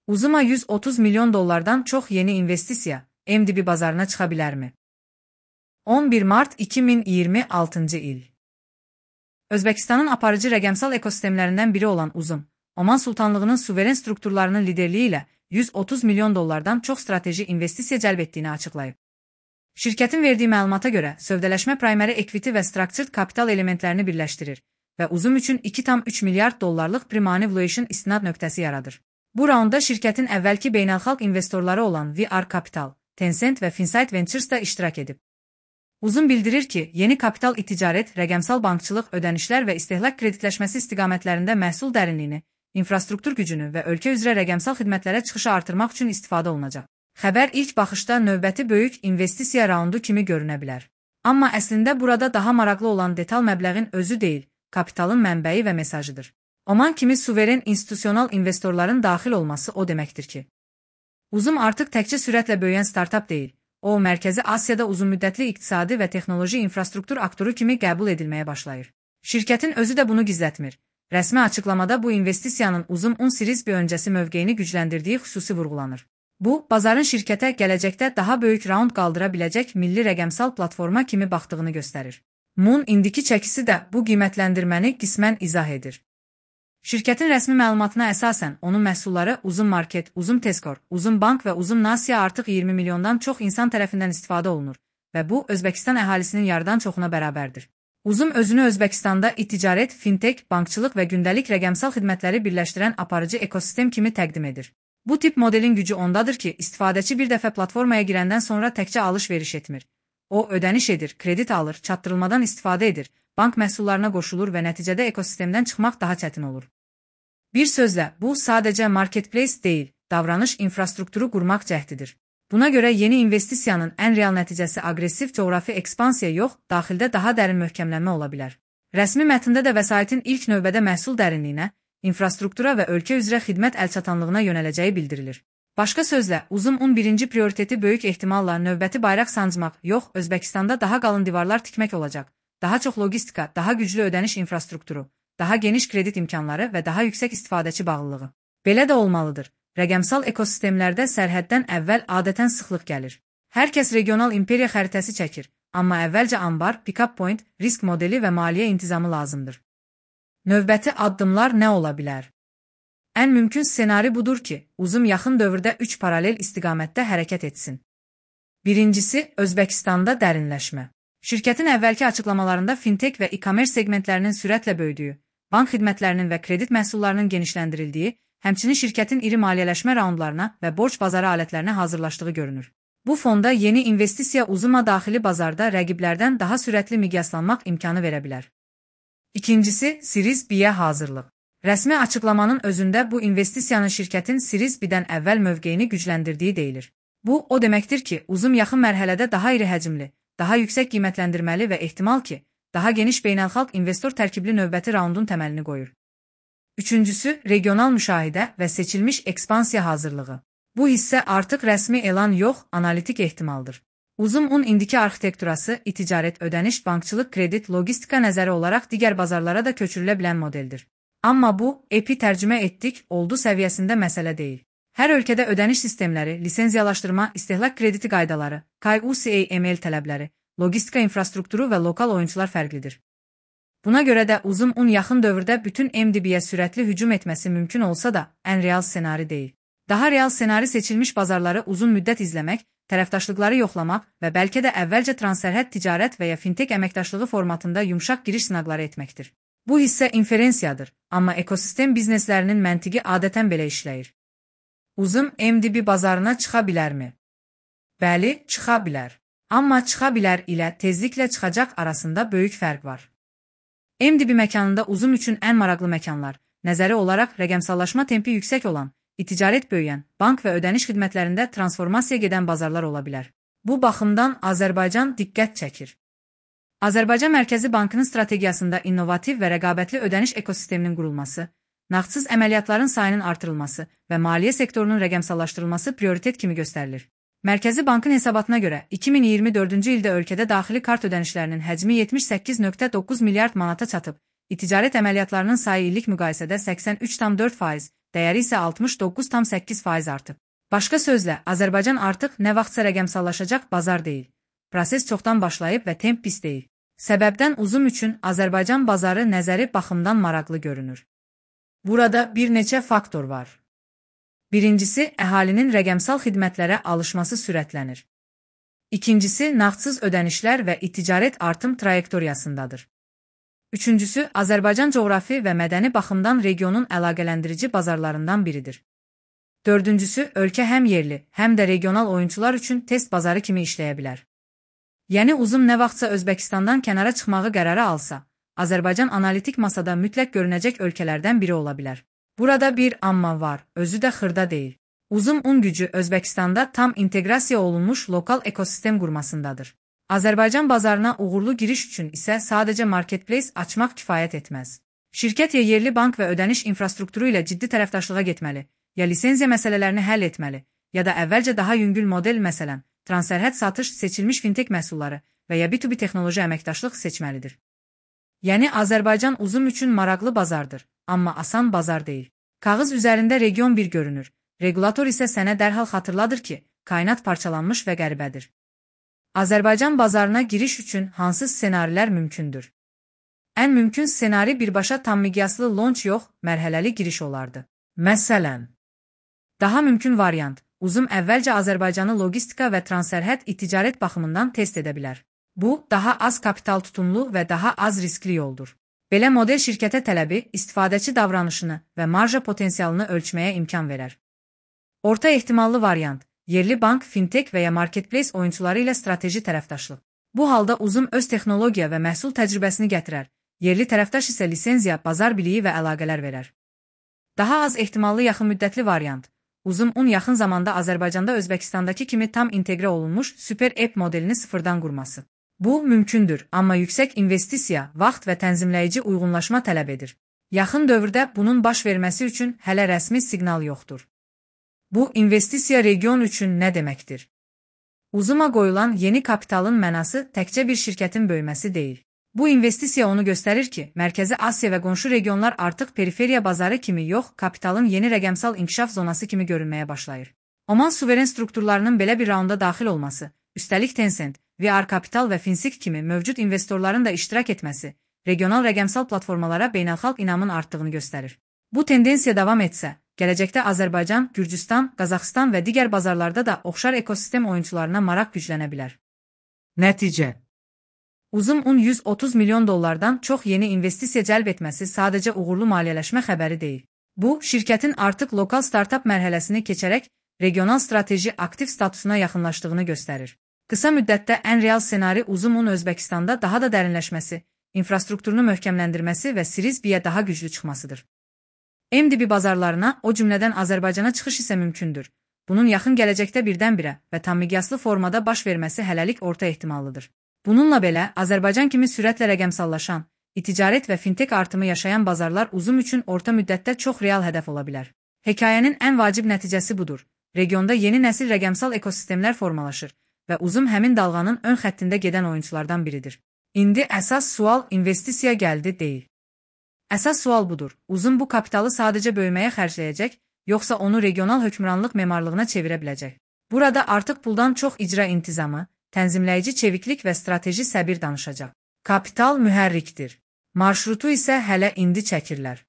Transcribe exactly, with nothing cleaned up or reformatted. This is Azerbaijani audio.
Uzuma yüz otuz milyon dollardan çox yeni investisiya M D B bazarına çıxa bilərmi? on bir mart iki min iyirmi altıncı il. Özbəkistanın aparıcı rəqəmsal ekosistemlərindən biri olan Uzum, Oman Sultanlığının suveren strukturlarının liderliyi ilə yüz otuz milyon dollardan çox strateji investisiya cəlb etdiyini açıqlayıb. Şirkətin verdiyi məlumata görə, sövdələşmə primary equity və structured capital elementlərini birləşdirir və Uzum üçün iki tam üç milyard dollarlıq pre-money valuation istinad nöqtəsi yaradır. Bu raunda şirkətin əvvəlki beynəlxalq investorları olan V R Capital, Tencent və Finsight Ventures da iştirak edib. Uzum bildirir ki, yeni kapital iticarət, rəqəmsal bankçılıq, ödənişlər və istehlak kreditləşməsi istiqamətlərində məhsul dərinliyini, infrastruktur gücünü və ölkə üzrə rəqəmsal xidmətlərə çıxışı artırmaq üçün istifadə olunacaq. Xəbər ilk baxışda növbəti böyük investisiya raundu kimi görünə bilər. Amma əslində burada daha maraqlı olan detal məbləğin özü deyil, kapitalın mənbəyi və mesajıdır. Oman kimi suveren institusional investorların daxil olması o deməkdir ki, Uzum artıq təkcə sürətlə böyüyən startap deyil, o, Mərkəzi Asiyada uzunmüddətli iqtisadi və texnoloji infrastruktur aktoru kimi qəbul edilməyə başlayır. Şirkətin özü də bunu gizlətmir. Rəsmi açıqlamada bu investisiyanın Uzum on Series B öncəsi mövqeyini gücləndirdiyi xüsusi vurğulanır. Bu, bazarın şirkətə gələcəkdə daha böyük raund qaldıra biləcək milli rəqəmsal platforma kimi baxdığını göstərir. Moon indiki çəkisi də bu qiymətləndirməni qismən izah edir. Şirkətin rəsmi məlumatına əsasən, onun məhsulları Uzum Market, Uzum Tezkor, Uzum Bank və Uzum Nasiya artıq iyirmi milyondan çox insan tərəfindən istifadə olunur və bu, Özbəkistan əhalisinin yarıdan çoxuna bərabərdir. Uzum özünü Özbəkistanda e-ticarət, fintech, bankçılıq və gündəlik rəqəmsal xidmətləri birləşdirən aparıcı ekosistem kimi təqdim edir. Bu tip modelin gücü ondadır ki, istifadəçi bir dəfə platformaya girəndən sonra təkcə alış-veriş etmir. O, ödəniş edir, kredit alır, çatdırılmadan istifadə edir, bank məhsullarına qoşulur və nəticədə ekosistemdən çıxmaq daha çətin olur. Bir sözlə, bu sadəcə marketplace deyil, davranış infrastrukturu qurmaq cəhdidir. Buna görə yeni investisiyanın ən real nəticəsi aqressiv coğrafi ekspansiya yox, daxildə daha dərin möhkəmlənmə ola bilər. Rəsmi mətndə də vəsaitin ilk növbədə məhsul dərinliyinə, infrastruktura və ölkə üzrə xidmət əlçatanlığına yönələcəyi bildirilir. Başqa sözlə, Uzum on birinci prioriteti böyük ehtimalla növbəti bayraq sancmaq yox, Özbəkistanda daha qalın divarlar tikmək olacaq. Daha çox logistika, daha güclü ödəniş infrastrukturu, daha geniş kredit imkanları və daha yüksək istifadəçi bağlılığı. Belə də olmalıdır. Rəqəmsal ekosistemlərdə sərhəddən əvvəl adətən sıxlıq gəlir. Hər kəs regional imperiya xəritəsi çəkir, amma əvvəlcə ambar, pick-up point, risk modeli və maliyyə intizamı lazımdır. Növbəti addımlar nə ola bilər? Ən mümkün ssenari budur ki, Uzum yaxın dövrdə üç paralel istiqamətdə hərəkət etsin. Birincisi, Özbəkistanda dərinləşmə. Şirkətin əvvəlki açıqlamalarında fintech və e-commerce segmentlərinin sürətlə böyüdüyü, bank xidmətlərinin və kredit məhsullarının genişləndirildiyi, həmçinin şirkətin iri maliyyələşmə raundlarına və borc bazarı alətlərinə hazırlaşdığı görünür. Bu fonda yeni investisiya Uzuma daxili bazarda rəqiblərdən daha sürətli miqyaslanmaq imkanı verə bilər. İkincisi, Series B-yə hazırlıq. Rəsmi açıqlamanın özündə bu investisiyanın şirkətin Series B-dən əvvəl mövqeyini gücləndirdiyi deyilir. Bu, o deməkdir ki, Uzum yaxın mərhələdə daha iri həcmli, daha yüksək qiymətləndirməli və ehtimal ki, daha geniş beynəlxalq investor tərkibli növbəti raundun təməlini qoyur. Üçüncüsü, regional müşahidə və seçilmiş ekspansiya hazırlığı. Bu hissə artıq rəsmi elan yox, analitik ehtimaldır. Uzum on indiki arxitekturası, e-ticarət, ödəniş, bankçılıq, kredit, logistika nəzəri olaraq digər bazarlara da köçürülə bilən modeldir. Amma bu, E P I tərcümə etdik, oldu səviyyəsində məsələ deyil. Hər ölkədə ödəniş sistemləri, lisenziyalaşdırma, istehlak krediti qaydaları, K U C A M L tələbləri, logistika infrastrukturu və lokal oyuncular fərqlidir. Buna görə də Uzum on yaxın dövrdə bütün M D B-yə sürətli hücum etməsi mümkün olsa da, ən real ssenari deyil. Daha real ssenari seçilmiş bazarları uzun müddət izləmək, tərəfdaşlıqları yoxlamaq və bəlkə də əvvəlcə transsərhəd ticarət və ya fintech əməkdaşlığı formatında yumşaq giriş sınaqları etməkdir. Bu hissə inferensiyadır, amma ekosistem bizneslərinin məntiqi adətən belə işləyir. Uzum M D B bazarına çıxa bilərmi? Bəli, çıxa bilər. Amma çıxa bilər ilə tezliklə çıxacaq arasında böyük fərq var. M D B məkanında Uzum üçün ən maraqlı məkanlar, nəzəri olaraq rəqəmsallaşma tempi yüksək olan, e-ticarət böyüyən, bank və ödəniş xidmətlərində transformasiya gedən bazarlar ola bilər. Bu baxımdan Azərbaycan diqqət çəkir. Azərbaycan Mərkəzi Bankının strategiyasında innovativ və rəqabətli ödəniş ekosisteminin qurulması, nağdsız əməliyyatların sayının artırılması və maliyyə sektorunun rəqəmsallaşdırılması prioritet kimi göstərilir. Mərkəzi Bankın hesabatına görə iki min iyirmi dördüncü ildə ölkədə daxili kart ödənişlərinin həcmi yetmiş səkkiz nöqtə doqquz milyard manata çatıb, e-ticarət əməliyyatlarının sayı illik müqayisədə səksən üç tam dörd faiz, dəyəri isə altmış doqquz tam səkkiz faiz artıb. Başqa sözlə, Azərbaycan artıq nə vaxtsa rəqəmsallaşacaq bazar deyil. Proses çoxdan başlayıb və temp pis deyil. Səbəbdən uzun üçün Azərbaycan bazarı nəzəri baxımdan maraqlı görünür. Burada bir neçə faktor var. Birincisi, əhalinin rəqəmsal xidmətlərə alışması sürətlənir. İkincisi, nağdsız ödənişlər və ticarət artım trayektoriyasındadır. Üçüncüsü, Azərbaycan coğrafi və mədəni baxımdan regionun əlaqələndirici bazarlarından biridir. Dördüncüsü, ölkə həm yerli, həm də regional oyunçular üçün test bazarı kimi işləyə bilər. Yəni uzun nə vaxtsa Özbəkistandan kənara çıxmağı qərara alsa, Azərbaycan analitik masada mütləq görünəcək ölkələrdən biri ola bilər. Burada bir amma var, özü də xırda deyil. Uzun un gücü Özbəkistanda tam inteqrasiya olunmuş lokal ekosistem qurmasındadır. Azərbaycan bazarına uğurlu giriş üçün isə sadəcə marketplace açmaq kifayət etməz. Şirkət ya yerli bank və ödəniş infrastrukturu ilə ciddi tərəfdaşlığa getməli, ya lisenziya məsələlərini həll etməli, ya da əvvəlcə daha yüngül model məsələn, transsərhəd satış seçilmiş fintech məhsulları və ya B iki B texnoloji əməkdaşlıq seçməlidir. Yəni Azərbaycan uzun üçün maraqlı bazardır, amma asan bazar deyil. Kağız üzərində region bir görünür, regulator isə sənə dərhal xatırladır ki, kainat parçalanmış və qəribədir. Azərbaycan bazarına giriş üçün hansı ssenarilər mümkündür? Ən mümkün ssenari birbaşa tam miqyaslı launch yox, mərhələli giriş olardı. Məsələn, daha mümkün variant, uzun əvvəlcə Azərbaycanı logistika və transsərhəd ticarət baxımından test edə bilər. Bu, daha az kapital tutumlu və daha az riskli yoldur. Belə model şirkətə tələbi, istifadəçi davranışını və marja potensialını ölçməyə imkan verər. Orta ehtimallı variant, yerli bank, fintech və ya marketplace oyunçuları ilə strateji tərəfdaşlıq. Bu halda uzun öz texnologiya və məhsul təcrübəsini gətirər, yerli tərəfdaş isə lisenziya, bazar biliyi və əlaqələr verər. Daha az ehtimallı yaxın müddətli variant, uzun un yaxın zamanda Azərbaycanda Özbəkistandakı kimi tam inteqrə olunmuş super app modelini sıfırdan qurması. Bu, mümkündür, amma yüksək investisiya, vaxt və tənzimləyici uyğunlaşma tələb edir. Yaxın dövrdə bunun baş verməsi üçün hələ rəsmi siqnal yoxdur. Bu, investisiya region üçün nə deməkdir? Uzuma qoyulan yeni kapitalın mənası təkcə bir şirkətin böyüməsi deyil. Bu investisiya onu göstərir ki, Mərkəzi Asiya və qonşu regionlar artıq periferiya bazarı kimi yox, kapitalın yeni rəqəmsal inkişaf zonası kimi görünməyə başlayır. Oman suveren strukturlarının belə bir raunda daxil olması, üstəlik Tencent, V R Capital və Finsik kimi mövcud investorların da iştirak etməsi, regional rəqəmsal platformalara beynəlxalq inamın artdığını göstərir. Bu tendensiya davam etsə, gələcəkdə Azərbaycan, Gürcüstan, Qazaxıstan və digər bazarlarda da oxşar ekosistem oyunçularına maraq güclənə bilər. Nəticə: Uzun un yüz otuz milyon dollardan çox yeni investisiya cəlb etməsi sadəcə uğurlu maliyyələşmə xəbəri deyil. Bu, şirkətin artıq lokal startap mərhələsini keçərək regional strateji aktiv statusuna yaxınlaşdığını göstərir. Qısa müddətdə ən real ssenari uzun un Özbəkistanda daha da dərinləşməsi, infrastrukturunu möhkəmləndirməsi və Series-B-yə daha güclü çıxmasıdır. M D B bazarlarına, o cümlədən Azərbaycana çıxış isə mümkündür. Bunun yaxın gələcəkdə birdən-birə və tam miqyaslı formada baş verməsi hələlik orta ehtimallıdır. Bununla belə, Azərbaycan kimi sürətlə rəqəmsallaşan, ticarət və fintech artımı yaşayan bazarlar uzun üçün orta müddətdə çox real hədəf ola bilər. Hekayənin ən vacib nəticəsi budur. Regionda yeni nəsil rəqəmsal ekosistemlər formalaşır və uzun həmin dalğanın ön xəttində gedən oyunçulardan biridir. İndi əsas sual investisiya gəldi deyil. Əsas sual budur. Uzun bu kapitalı sadəcə böyüməyə xərcləyəcək, yoxsa onu regional hökmranlıq memarlığına çevirə biləcək? Burada artıq puldan çox icra intizamı, tənzimləyici çeviklik və strateji səbir danışacaq. Kapital mühərrikdir. Marşrutu isə hələ indi çəkirlər.